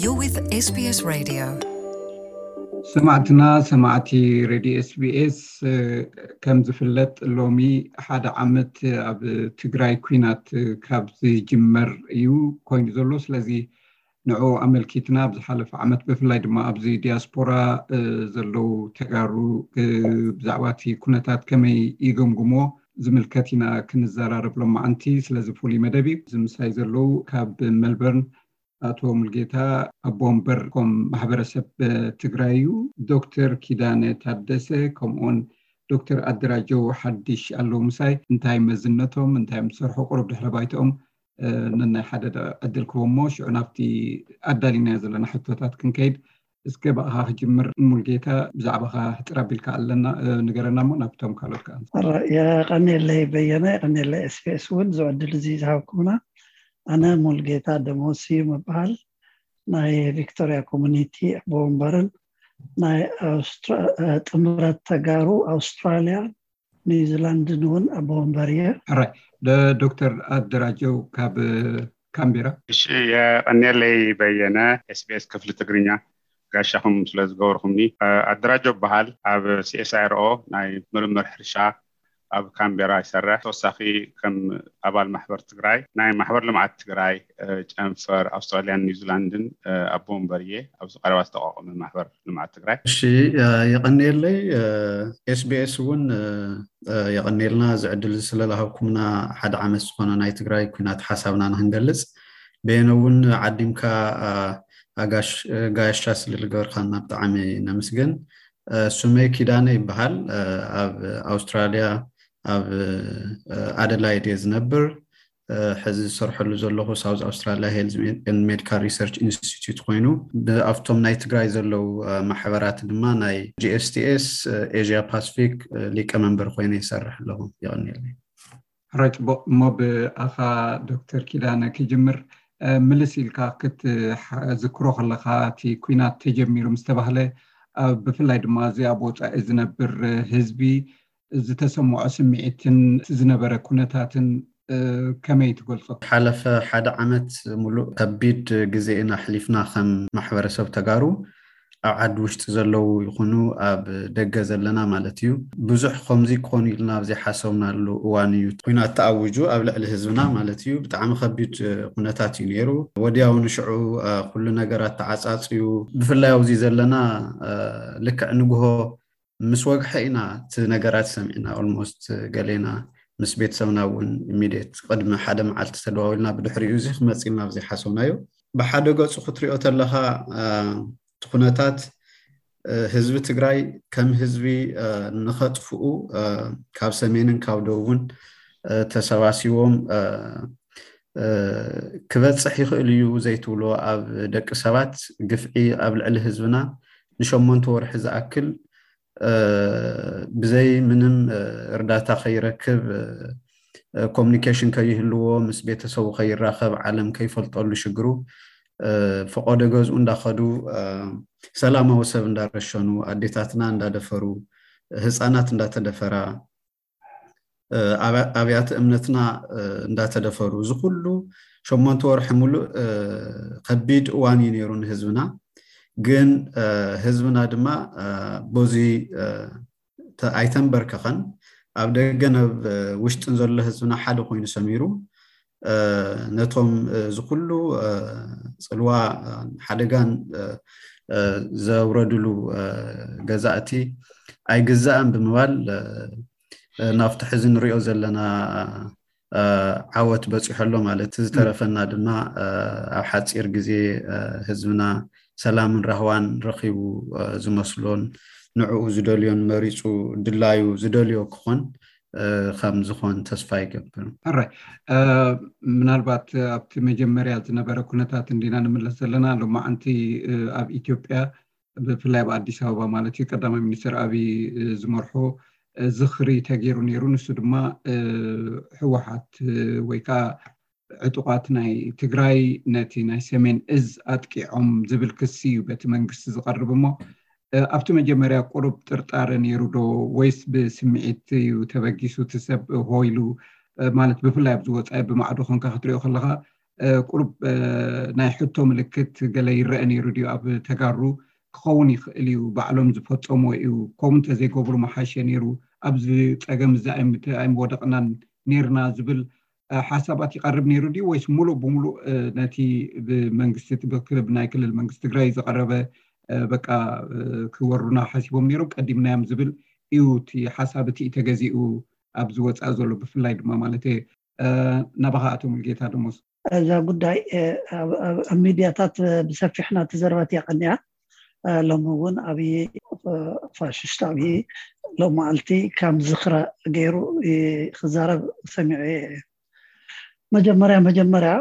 You're with SBS Radio. ሰማዕትና ሰማዕቲ ሬድዮ SBS፣ ከም ዝፍለጥ ሎሚ ሓደ ዓመት ኣብ ትግራይ ኲናት ካብ ዝጅመር እዩ ኮይኑ ዘሎ። ስለዚ ንዑ ኣመልኪትና ኣብ ዝሓለፈ ዓመት ብፍላይ ድማ ኣብዚ ዲያስፖራ ዘለዉ ተጋሩ ብዛዕባ እቲ ኩነታት ከመይ ይገምግሞ ዝምልከት ኢና ክንዘራረብ ሎማዓንቲ። ስለዚ ፍሉይ መደብ እዩ። እዚ ምሳይ ዘለዉ ካብ ሜልበርን ኣቶ ሙልጌታ ኣቦ ወንበር ኮም ማሕበረሰብ ትግራይ እዩ። ዶክተር ኪዳነ ታደሰ ከምኡውን ዶክተር ኣደራጀው ሓድሽ ኣለዉ ምሳይ። እንታይ መዝነቶም፣ እንታይ ምስ ሰርሑ፣ ቁሩብ ድሕረ ባይትኦም ነናይ ሓደ ዕድል ክህቦ እሞ ሽዑ ናብቲ ኣዳሊናዮ ዘለና ሕቶታት ክንከይድ። እስከ ብኣኻ ክጅምር ሙልጌታ፣ ብዛዕባኻ ሕፅር ኣቢልካ ኣለና ንገረና እሞ ናብቶም ካልኦት ከዓ። የቐኔለይ በየነ፣ የቐኔለይ SBS እውን ዝዕድል እዚ ዝሃብኩምና። ኣነ ሙልጌታ ደሞስ እዩ ምበሃል። ናይ ቪክቶሪያ ኮሚኒቲ ኣቦ ወንበርን ናይ ጥምረት ተጋሩ ኣውስትራልያ ኒውዚላንድን እውን ኣቦ ወንበር እየ። ዶክተር ኣደራጀው ካብ ካምቤራ። እሺ፣ የቐኔለይ በየነ፣ SBS ክፍሊ ትግርኛ ጋሻኹም ስለ ዝገበርኩምኒ። ኣደራጀው በሃል፣ ኣብ CSIRO ናይ ምርምር ሕርሻ ኣብ ካምቤራ ይሰርሕ። ተወሳኺ ከም ኣባል ማሕበር ትግራይ ናይ ማሕበር ልምዓት ትግራይ ጨንፈር ኣውስትራልያን ኒውዚላንድን ኣቦ ወንበር እየ። ኣብዚ ቀረባ ዝተቋቋመ ማሕበር ልምዓት ትግራይ። እሺ፣ የቐንየለይ። SBS እውን የቐንየልና እዚ ዕድል እዚ ስለዝሃብኩምና። ሓደ ዓመት ዝኾነ ናይ ትግራይ ኩናት ሓሳብና ንክንገልፅ በየነ እውን ዓዲምካ ኣጋሽ ጋሻ ስለ ዝገበርካና ብጣዕሚ ነመስግን። ስመይ ኪዳነ ይበሃል። ኣብ ኣውስትራልያ ኣብ ኣደላይድ እየ ዝነብር። ሕዚ ዝሰርሐሉ ዘለኹ ሳውዝ ኣውስትራልያ ሄልዝ ሜዲካል ሪሰርች ኢንስቲትዩት ኮይኑ፣ ኣብቶም ናይ ትግራይ ዘለዉ ማሕበራት ድማ ናይ GSTS ኤዥያ ፓስፊክ ሊቀመንበር ኮይነ ይሰርሕ ኣለኹ። የቐንየለይ። ሕራይ ፅቡቕ። እሞ ብኣኻ ዶክተር ኪዳነ ክጅምር። ምልስ ኢልካ ክትዝክሮ ከለኻ፣ እቲ ኩናት ተጀሚሩ ምስ ተባህለ፣ ብፍላይ ድማ እዚ ኣብ ወፃኢ ዝነብር ህዝቢ ዝተሰምዖ ስምዒትን እቲ ዝነበረ ኩነታትን ከመይ ትገልፆ? ሓለፈ ሓደ ዓመት ሙሉእ ከቢድ ግዜ ኢና ኣሕሊፍና ከም ማሕበረሰብ ተጋሩ፣ ኣብ ዓዲ ውሽጢ ዘለዉ ይኹኑ ኣብ ደገ ዘለና ማለት እዩ። ብዙሕ ከምዚ ክኾኑ ኢልና ኣብ ዘይሓሰብናሉ እዋን እዩ ኩናት ተኣዊጁ ኣብ ልዕሊ ህዝብና ማለት እዩ። ብጣዕሚ ከቢድ ኩነታት እዩ ነይሩ። ወዲያው ንሽዑ ኩሉ ነገራት ተዓፃፅዩ። ብፍላይ ኣብዚ ዘለና ልክዕ ንግሆ ምስ ወግሐ ኢና እቲ ነገራት ሰሚዕና። ኦልሞስት ገሌና ምስ ቤተሰብና እውን ኢሚድየት ቅድሚ ሓደ መዓልቲ ተደዋዊልና፣ ብድሕሪኡ እዚ ክመፅ ኢልና ኣብ ዘይሓሰብናዮ። ብሓደ ገፁ ክትሪኦ ተለኻ እቲ ኩነታት ህዝቢ ትግራይ ከም ህዝቢ ንኸጥፍኡ ካብ ሰሜንን ካብ ደቡብን ተሰባሲቦም ክበፅሕ ይኽእል እዩ ዘይትብሎ ኣብ ደቂ ሰባት ግፍዒ ኣብ ልዕሊ ህዝብና ንሸሞንተ ወርሒ ዝኣክል ብዘይ ምንም እርዳታ ከይረክብ፣ ኮሚኒኬሽን ከይህልዎ፣ ምስ ቤተሰቡ ከይራኸብ፣ ዓለም ከይፈልጠሉ ሽግሩ፣ ፈቆዶ ገዝኡ እንዳኸዱ ሰላማዊ ሰብ እንዳረሸኑ፣ ኣዴታትና እንዳደፈሩ፣ ህፃናት እንዳተደፈራ፣ ኣብያተ እምነትና እንዳተደፈሩ፣ እዚ ኩሉ ሸሞንተ ወርሒ ሙሉእ ከቢድ እዋን እዩ ነይሩ ንህዝብና። ግን ህዝብና ድማ በዚ ኣይተንበርከኸን። ኣብ ደገን ኣብ ውሽጥን ዘሎ ህዝብና ሓደ ኮይኑ ሰሚሩ፣ ነቶም እዚ ኩሉ ፅልዋ ሓደጋን ዘውረድሉ ገዛእቲ ኣይግዛእን ብምባል ናብቲ ሕዚ ንሪኦ ዘለና ዓወት በፂሖ ኣሎ ማለት። ዝተረፈና ድማ ኣብ ሓፂር ግዜ ህዝብና ሰላምን ራህዋን ረኺቡ ዝመስሎን ንዕኡ ዝደልዮን መሪፁ ድላዩ ዝደልዮ ክኾን ከም ዝኾን ተስፋ ይገብር። ሕራይ፣ ምናልባት ኣብቲ መጀመርያ ዝነበረ ኩነታት እንዲና ንምለስ ዘለና። ሎማዓንቲ ኣብ ኢትዮጵያ ብፍላይ ኣብ ኣዲስ ኣበባ ማለት እዩ ቀዳማይ ሚኒስትር ኣብይ ዝመርሖ ዝኽሪ ተገይሩ ነይሩ። ንሱ ድማ ህወሓት ወይ ከዓ ዕጡቓት ናይ ትግራይ ነቲ ናይ ሰሜን እዝ ኣጥቂዖም ዝብል ክሲ እዩ በቲ መንግስቲ ዝቐርብ። እሞ ኣብቲ መጀመርያ ቁሩብ ጥርጣረ ነይሩ ዶ ወይስ ብስምዒት እዩ ተበጊሱ እቲ ሰብ ሆይሉ? ማለት ብፍላይ ኣብዚ ወፃኢ ብማዕዶ ኮንካ ክትሪኦ ከለካ ቁሩብ ናይ ሕቶ ምልክት ገለ ይረአ ነይሩ ድዩ ኣብ ተጋሩ? ክኸውን ይኽእል እዩ፣ ባዕሎም ዝፈፀምዎ እዩ፣ ከምኡ እንተዘይገብሩ ምሓሸ ነይሩ፣ ኣብዚ ፀገም እዚ ኣይምወደቕናን ነይርና ዝብል ሓሳባት ይቐርብ ነይሩ ድዩ? ወይስ ሙሉእ ብሙሉእ ነቲ ብመንግስቲ ብክልብ ናይ ክልል መንግስቲ ትግራይ ዝቐረበ በቃ ክወሩና ሓሲቦም ነይሮም ቀዲምናዮም ዝብል እዩ እቲ ሓሳብ እቲ ተገዚኡ ኣብዚ ወፃኢ ዘሎ? ብፍላይ ድማ ማለት ናባኻ ኣቶ ሙልጌታ ደሞስ። እዛ ጉዳይ ኣብ ሚድያታት ብሰፊሕ እናተዘረበት እያ ቀኒያ። ሎሚ እውን ኣብይ ፋሽስት ኣብይ ሎም መዓልቲ ከም ዝኽረ ገይሩ ክዛረብ ሰሚዐ። መጀመርያ መጀመርያ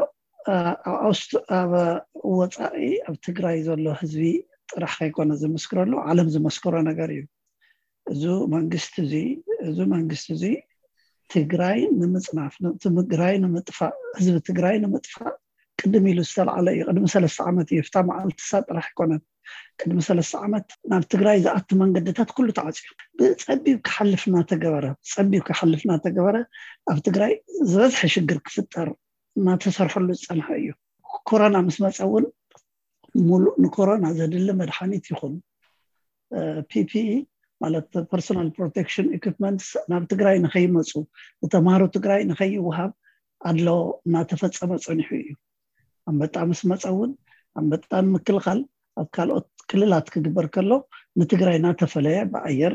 ኣብ ወፃኢ ኣብ ትግራይ ዘሎ ህዝቢ ጥራሕ ከይኮነ ዝምስክረሉ፣ ዓለም ዝመስክሮ ነገር እዩ። እዚ መንግስቲ እዚ እዚ መንግስቲ እዚ ትግራይ ንምፅናፍ፣ ትግራይ ንምጥፋእ፣ ህዝቢ ትግራይ ንምጥፋእ ቅድም ኢሉ ዝተልዓለ እዩ። ቅድሚ ሰለስተ ዓመት እዩ። ፍታ መዓልቲ ሳ ጥራሕ ኣይኮነን። ቅድሚ ሰለስተ ዓመት ናብ ትግራይ ዝኣቱ መንገድታት ኩሉ ተዓፅዩ፣ ብፀቢብ ክሓልፍ እናተገበረ ብፀቢብ ክሓልፍ እናተገበረ ኣብ ትግራይ ዝበዝሐ ሽግር ክፍጠር እናተሰርሐሉ ዝፀንሐ እዩ። ኮሮና ምስ መፀ እውን ሙሉእ ንኮሮና ዘድሊ መድሓኒት ይኹን ፒፒኢ ማለት personal protection equipment ናብ ትግራይ ንኸይመፁ፣ ንተምሃሮ ትግራይ ንኸይወሃብ ኣድሎ እናተፈፀመ ፀኒሑ እዩ። ኣንበጣ ምስ መፀ እውን ኣንበጣ ንምክልኻል ኣብ ካልኦት ክልላት ክግበር ከሎ ንትግራይ እናተፈለየ ብኣየር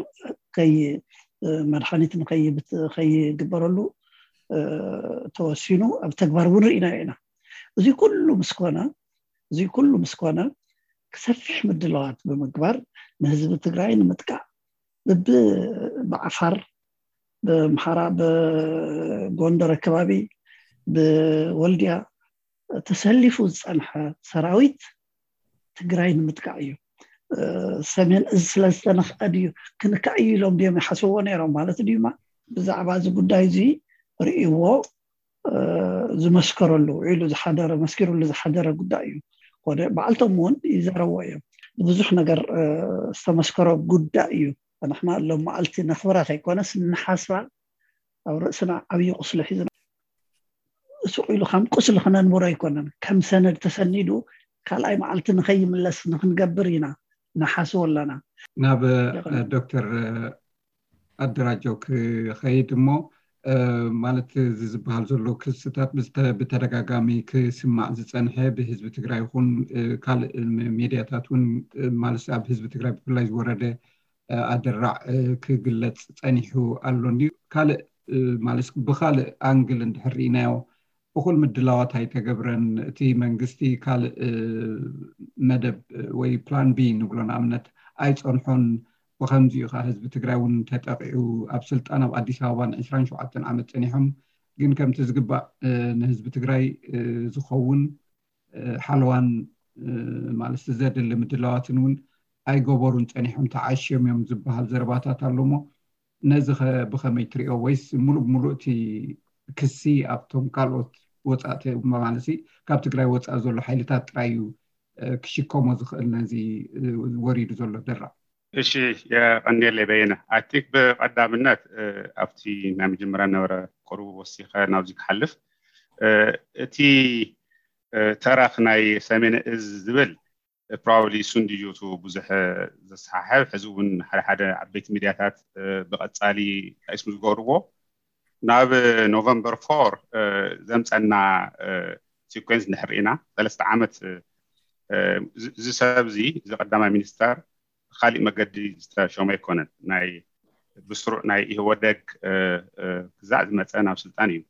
መድሓኒት ንኸይግበረሉ ተወሲኑ ኣብ ተግባር እውን ርኢናዮ ኢና። እዚ ኩሉ ምስኮነ እዚ ኩሉ ምስኮነ ክሰፊሕ ምድላዋት ብምግባር ንህዝቢ ትግራይ ንምጥቃዕ ብዓፋር፣ ብኣምሓራ፣ ብጎንደር ኣከባቢ፣ ብወልድያ ተሰሊፉ ዝፀንሐ ሰራዊት ትግራይ ንምጥቃዕ እዩ። ሰሜን እዝ ስለዝተነክአ ድዩ ክንካዕ እዩ ኢሎም ድዮም ይሓስብዎ ነይሮም ማለት ድዩማ? ብዛዕባ እዚ ጉዳይ እዚ ርእይዎ ዝመስከረሉ ውዒሉ ዝሓደረ መስኪሩሉ ዝሓደረ ጉዳይ እዩ። ኮነ በዓልቶም እውን ይዛረብዎ እዮም። ብዙሕ ነገር ዝተመስከሮ ጉዳይ እዩ። ንሕና ሎም መዓልቲ ነኽብራ ከይኮነስ ንሓስባ ኣብ ርእስና ዓብዪ ቁስሊ ሒዝና ስቕ ኢሉ ከም ቁስሊ ክነንብሮ ኣይኮነን። ከም ሰነድ ተሰኒዱ ካልኣይ መዓልቲ ንኸይምለስ ንክንገብር ኢና ንሓስቦ ኣለና። ናብ ዶክተር ኣደራጀው ክኸይድ እሞ ማለት እዚ ዝበሃል ዘሎ ክስታት ብተደጋጋሚ ክስማዕ ዝፀንሐ ብህዝቢ ትግራይ ይኹን ካልእ ሚድያታት እውን ማለት ኣብ ህዝቢ ትግራይ ብፍላይ ዝወረደ ኣደራዕ ክግለፅ ፀኒሑ ኣሎ እንድዩ። ካልእ ማለት ብካልእ ኣንግል እንድሕር ርኢናዮ እኹል ምድላዋት ኣይተገብረን። እቲ መንግስቲ ካልእ መደብ ወይ ፕላን ቢ ንብሎ ንኣብነት ኣይፀንሖን። ብኸምዚኡ ከዓ ህዝቢ ትግራይ እውን ተጠቂዑ ኣብ ስልጣን ኣብ ኣዲስ ኣበባ ን ዕስራን ሸውዓተን ዓመት ፀኒሖም ግን ከምቲ ዝግባእ ንህዝቢ ትግራይ ዝኸውን ሓለዋን ማለት ዘድሊ ምድላዋትን እውን ኣይገበሩን ፀኒሖም ተዓሽዮም እዮም ዝበሃል ዘረባታት ኣሎ እሞ ነዚ ኸ ብኸመይ ትሪኦ? ወይስ ሙሉእ ብሙሉእ እቲ ክሲ ኣብቶም ካልኦት ወፃእቲ ማለት ካብ ትግራይ ወፃኢ ዘሎ ሓይልታት ጥራይ እዩ ክሽከሞ ዝኽእል ነዚ ወሪዱ ዘሎ ደራዕ? እሺ፣ የቐንየለይ በየነ። ኣይ ቲንክ ብቐዳምነት ኣብቲ ናይ መጀመርያ ነበረ ቅሩብ ወሲኸ ናብዚ ክሓልፍ እቲ ተረኽ ናይ ሰሜን እዝ ዝብል ፕሮባብሊ እሱ እንድዩ እቲ ብዙሕ ዘሰሓሕብ። ሕዚ እውን ሓደ ሓደ ዓበይቲ ሚድያታት ብቐፃሊ ጠቂስም ዝገብርዎ ናብ ኖቨምበር ፎር ዘምፀና ሲኮንስ እንድሕር ርኢና ሰለስተ ዓመት እዚ ሰብ እዚ እዚ ቀዳማይ ሚኒስተር ካሊእ መገዲ ዝተሾመ ኣይኮነን። ናይ ብስሩዕ ናይ ኢህወደግ ክዛዕ ዝመፀ ናብ ስልጣን እዩ።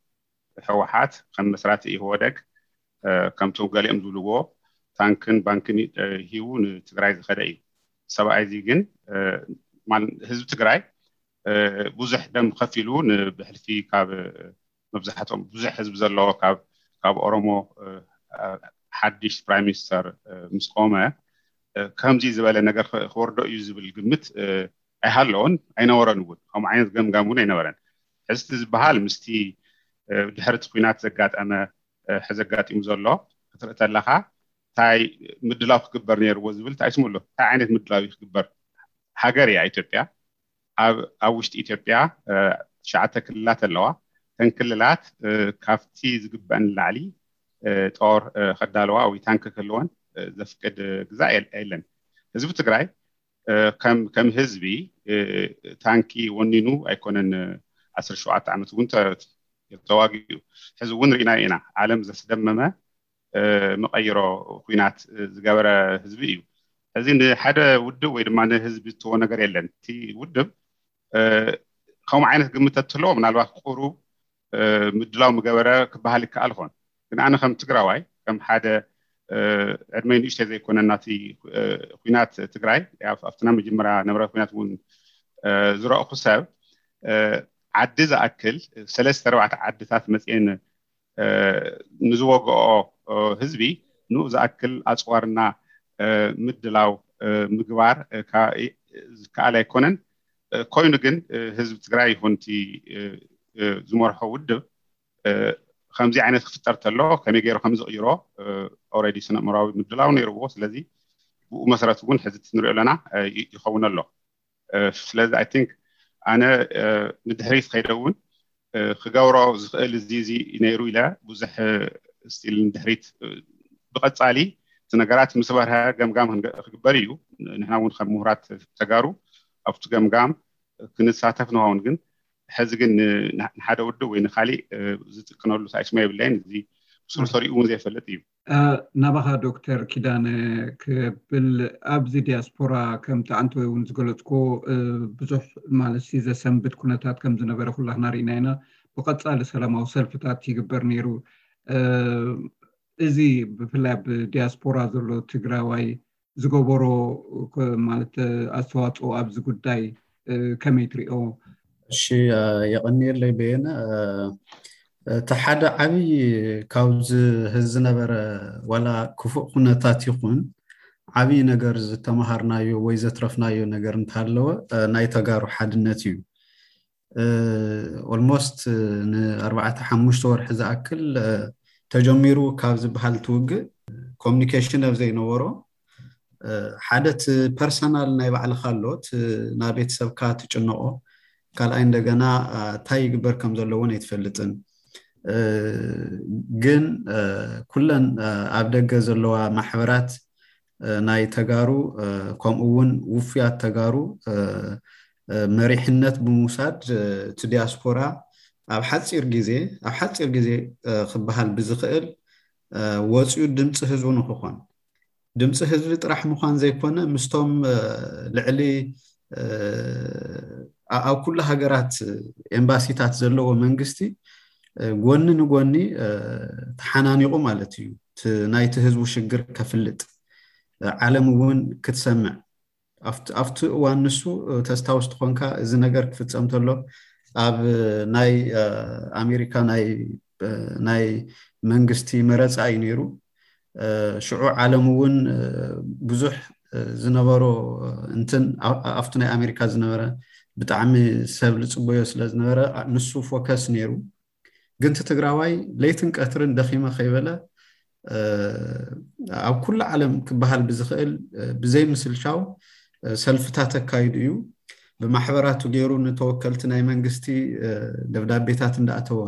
ህወሓት ከም መስራቲ ኢህወደግ ከምቶም ገሊኦም ዝብልዎ ታንክን ባንክን ሂቡ ንትግራይ ዝኸደ እዩ። ሰብኣይ እዚ ግን ህዝቢ ትግራይ ብዙሕ ደም ከፊሉ ብሕልፊ ካብ መብዛሕትኦም ብዙሕ ህዝቢ ዘለዎ ካብ ኦሮሞ ሓድሽ ፕራይም ሚኒስተር ምስ ቆመ ከምዚ ዝበለ ነገር ክወርዶ እዩ ዝብል ግምት ኣይሃለዎን ኣይነበረን እውን። ከምኡ ዓይነት ገምጋም እውን ኣይነበረን። ሕዝቲ ዝበሃል ምስቲ ድሕርቲ ኩናት ዘጋጠመ ሕዚ ኣጋጢሙ ዘሎ ክትርኢ ተለኻ እንታይ ምድላው ክግበር ነይርዎ ዝብል እንታይ ስምሎ እንታይ ዓይነት ምድላው እዩ ክግበር? ሃገር እያ ኢትዮጵያ። ኣብ ውሽጢ ኢትዮጵያ ትሽዓተ ክልላት ኣለዋ። እተን ክልላት ካብቲ ዝግበአን ንላዕሊ ጦር ከዳለዋ ወይ ታንክ ክህልወን ዘፍቅድ ግዛእ የለን። ህዝቢ ትግራይ ከም ህዝቢ ታንኪ ወኒኑ ኣይኮነን። ዓሰርተ ሸውዓተ ዓመት እውን ተዋጊኡ። ሕዚ እውን ርኢና ኢና። ዓለም ዘስደመመ መቐይሮ ኩናት ዝገበረ ህዝቢ እዩ። ሕዚ ንሓደ ውድብ ወይ ድማ ንህዝቢ እትዎ ነገር የለን። እቲ ውድብ ከምኡ ዓይነት ግምት ተትህልዎ ምናልባት ቁሩብ ምድላው ምገበረ ክበሃል ይከኣል ኾን። ግን ኣነ ከም ትግራዋይ ከም ሓደ ዕድመይ ንእሽተይ ዘይኮነ ናቲ ኩናት ትግራይ ኣብትና መጀመርያ ነበረ ኩናት እውን ዝረእኹ ሰብ ዓዲ ዝኣክል ሰለስተ ኣርባዕተ ዓድታት መፅኤን ንዝወግኦ ህዝቢ ንኡ ዝኣክል ኣፅዋርና ምድላው ምግባር ዝከኣል ኣይኮነን። ኮይኑ ግን ህዝቢ ትግራይ ይኹን እቲ ዝመርሖ ውድብ ከምዚ ዓይነት ክፍጠር ተሎ ከመይ ገይሩ ከም ዝቕይሮ ኦረዲ ስነ ምራዊ ምድላው ነይርዎ። ስለዚ ብኡ መሰረት እውን ሕዚ ንሪኦ ኣለና ይኸውን ኣሎ። ስለዚ ኣይ ቲንክ ኣነ ንድሕሪት ከይደ እውን ክገብሮ ዝኽእል እዚ እዚ ነይሩ ኢለ ብዙሕ ስቲል ንድሕሪት ብቐፃሊ እቲ ነገራት ምስ በርሀ ገምጋም ክግበር እዩ። ንሕና እውን ከም ምሁራት ተጋሩ ኣብቲ ገምጋም ክንሳተፍ ንኸውን። ግን ሕዚ ግን ንሓደ ውድብ ወይ ንካሊእ ዝጥቅነሉ ሳይስማ የብለይን። እዚ ብሱሩ ሰሪኡ እውን ዘይፈልጥ እዩ። ናባኻ ዶክተር ኪዳነ ክብል ኣብዚ ዲያስፖራ ከም ተዓንተወይ እውን ዝገለፅኮ ብዙሕ ማለት ዘሰንብት ኩነታት ከም ዝነበረ ኩላህና ርኢና ኢና። ብቐፃሊ ሰላማዊ ሰልፍታት ይግበር ነይሩ። እዚ ብፍላይ ኣብ ዲያስፖራ ዘሎ ትግራዋይ ዝገበሮ ማለት ኣስተዋፅኦ ኣብዚ ጉዳይ ከመይ ትሪኦ? እሺ፣ የቐንየለይ በየነ። እቲ ሓደ ዓብዪ ካብዚ ህዚ ዝነበረ ዋላ ክፉእ ኩነታት ይኹን ዓብዪ ነገር ዝተምሃርናዮ ወይ ዘትረፍናዮ ነገር እንተሃለወ ናይ ተጋሩ ሓድነት እዩ። ኦልሞስት ንኣርባዕተ ሓሙሽተ ወርሒ ዝኣክል ተጀሚሩ ካብ ዝበሃል ትውግእ ኮሚኒኬሽን ኣብ ዘይነበሮ ሓደ እቲ ፐርሰናል ናይ ባዕልካ ኣሎ፣ እቲ ናብ ቤተሰብካ ትጭነቆ፣ ካልኣይ እንደገና እንታይ ይግበር ከም ዘለዎን ኣይትፈልጥን። ግን ኩለን ኣብ ደገ ዘለዋ ማሕበራት ናይ ተጋሩ ከምኡ እውን ውፉያት ተጋሩ መሪሕነት ብምውሳድ እቲ ዲያስፖራ ኣብ ሓፂር ግዜ ኣብ ሓፂር ግዜ ክበሃል ብዝኽእል ወፂኡ ድምፂ ህዝቡ ንክኾን ድምፂ ህዝቢ ጥራሕ ምዃን ዘይኮነ ምስቶም ልዕሊ ኣብ ኩሉ ሃገራት ኤምባሲታት ዘለዎ መንግስቲ ጎኒ ንጎኒ ተሓናኒቑ ማለት እዩ። ናይቲ ህዝቡ ሽግር ከፍልጥ ዓለም እውን ክትሰምዕ ኣብቲ እዋን ንሱ ተስታውስ ትኾንካ እዚ ነገር ክፍፀም ተሎ ኣብ ናይ ኣሜሪካ ናይ መንግስቲ መረፃ እዩ ነይሩ። ሽዑ ዓለም እውን ብዙሕ ዝነበሮ እንትን ኣብቲ ናይ ኣሜሪካ ዝነበረ ብጣዕሚ ሰብ ዝፅበዮ ስለ ዝነበረ ንሱ ፎከስ ነይሩ። ግን እቲ ትግራዋይ ለይትን ቀትርን ደኺመ ከይበለ ኣብ ኩሉ ዓለም ክበሃል ብዝኽእል ብዘይ ምስልቻው ሰልፍታት ኣካይዱ እዩ። ብማሕበራቱ ገይሩ ንተወከልቲ ናይ መንግስቲ ደብዳቤታት እንዳኣተወ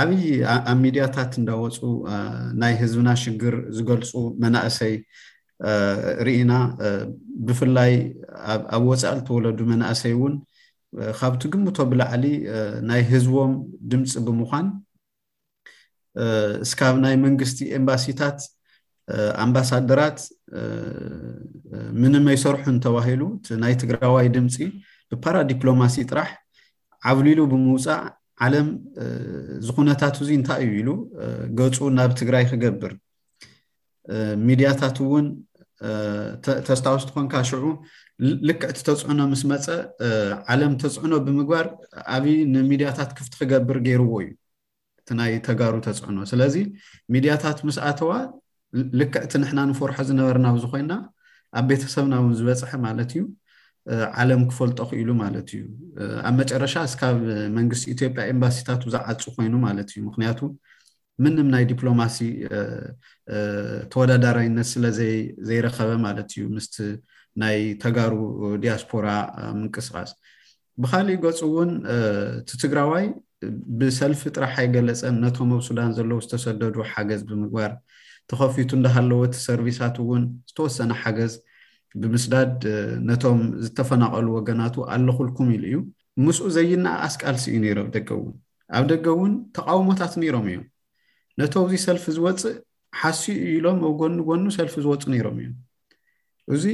ዓብዪ ኣብ ሚድያታት እንዳወፁ ናይ ህዝብና ሽግር ዝገልፁ መናእሰይ ርኢና። ብፍላይ ኣብ ወፃኢ ዝተወለዱ መናእሰይ እውን ካብ ትግምቶ ብላዕሊ ናይ ህዝቦም ድምፂ ብምዃን እስካብ ናይ መንግስቲ ኤምባሲታት ኣምባሳደራት ምንም ኣይሰርሑን ተባሂሉ ናይ ትግራዋይ ድምፂ ብፓራ ዲፕሎማሲ ጥራሕ ዓብሊሉ ብምውፃእ ዓለም ዝኩነታት እዚ እንታይ እዩ ኢሉ ገፁ ናብ ትግራይ ክገብር ሚድያታት እውን ተስታውስ ትኾንካ ሽዑ ልክዕ እቲ ተፅዕኖ ምስ መፀ ዓለም ተፅዕኖ ብምግባር ኣብይ ንሚድያታት ክፍቲ ክገብር ገይርዎ እዩ። እቲ ናይ ተጋሩ ተፅዕኖ ስለዚ ሚድያታት ምስ ኣተዋ ልክዕ እቲ ንሕና ንፈርሖ ዝነበርና ኣብዚ ኮይና ኣብ ቤተሰብና እውን ዝበፅሐ ማለት እዩ። ዓለም ክፈልጦ ክኢሉ ማለት እዩ። ኣብ መጨረሻ እስካብ መንግስቲ ኢትዮጵያ ኤምባሲታቱ ዝዓፁ ኮይኑ ማለት እዩ። ምክንያቱ ምንም ናይ ዲፕሎማሲ ተወዳዳራይነት ስለ ዘይረኸበ ማለት እዩ ምስቲ ናይ ተጋሩ ዲያስፖራ ምንቅስቃስ። ብካሊእ ገፁ እውን እቲ ትግራዋይ ብሰልፊ ጥራሕ ኣይገለጸን። ነቶም ኣብ ሱዳን ዘለዉ ዝተሰደዱ ሓገዝ ብምግባር፣ ተኸፊቱ እንዳሃለወ እቲ ሰርቪሳት እውን ዝተወሰነ ሓገዝ ብምስዳድ ነቶም ዝተፈናቐሉ ወገናቱ ኣለኹልኩም ኢሉ እዩ። ምስኡ ዘይነኣኣስ ቃልሲ እዩ ነይሩ ኣብ ደገ እውን። ኣብ ደገ እውን ተቃውሞታት ነይሮም እዮም። ነቶ ኣብዚ ሰልፊ ዝወፅእ ሓስዩ እዩ ኢሎም ኣብ ጎኒ ጎኑ ሰልፊ ዝወፁ ነይሮም እዮም። እዚ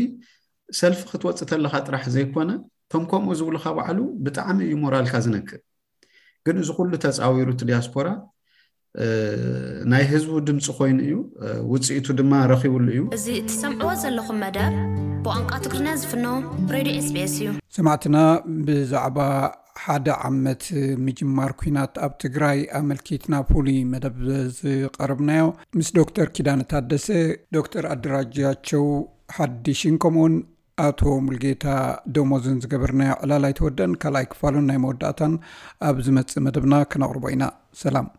ሰልፊ ክትወፅእ ተለካ ጥራሕ ዘይኮነ፣ እቶም ከምኡ ዝብሉካ ባዕሉ ብጣዕሚ እዩ ሞራልካ ዝነክእ። ግን እዚ ኩሉ ተፃዊሩ እቲ ዲያስፖራ ናይ ህዝቡ ድምፂ ኮይኑ እዩ፣ ውፅኢቱ ድማ ረኪብሉ እዩ። እዚ እትሰምዕዎ ዘለኹም መደብ ብቋንቋ ትግርኛ ዝፍኖ ሬድዮ ኤስቢኤስ እዩ። ሰማዕትና፣ ብዛዕባ ሓደ ዓመት ምጅማር ኲናት ኣብ ትግራይ ኣመልኪትና ፍሉይ መደብ ዝቐረብናዮ ምስ ዶክተር ኪዳነ ታደሰ፣ ዶክተር ኣደራጃቸው ሓድሽን ከምኡውን ኣቶ ሙልጌታ ደሞዝን ዝገበርናዮ ዕላል ኣይተወደን። ካልኣይ ክፋሉን ናይ መወዳእታን ኣብ ዝመጽእ መደብና ክነቕርቦ ኢና። ሰላም።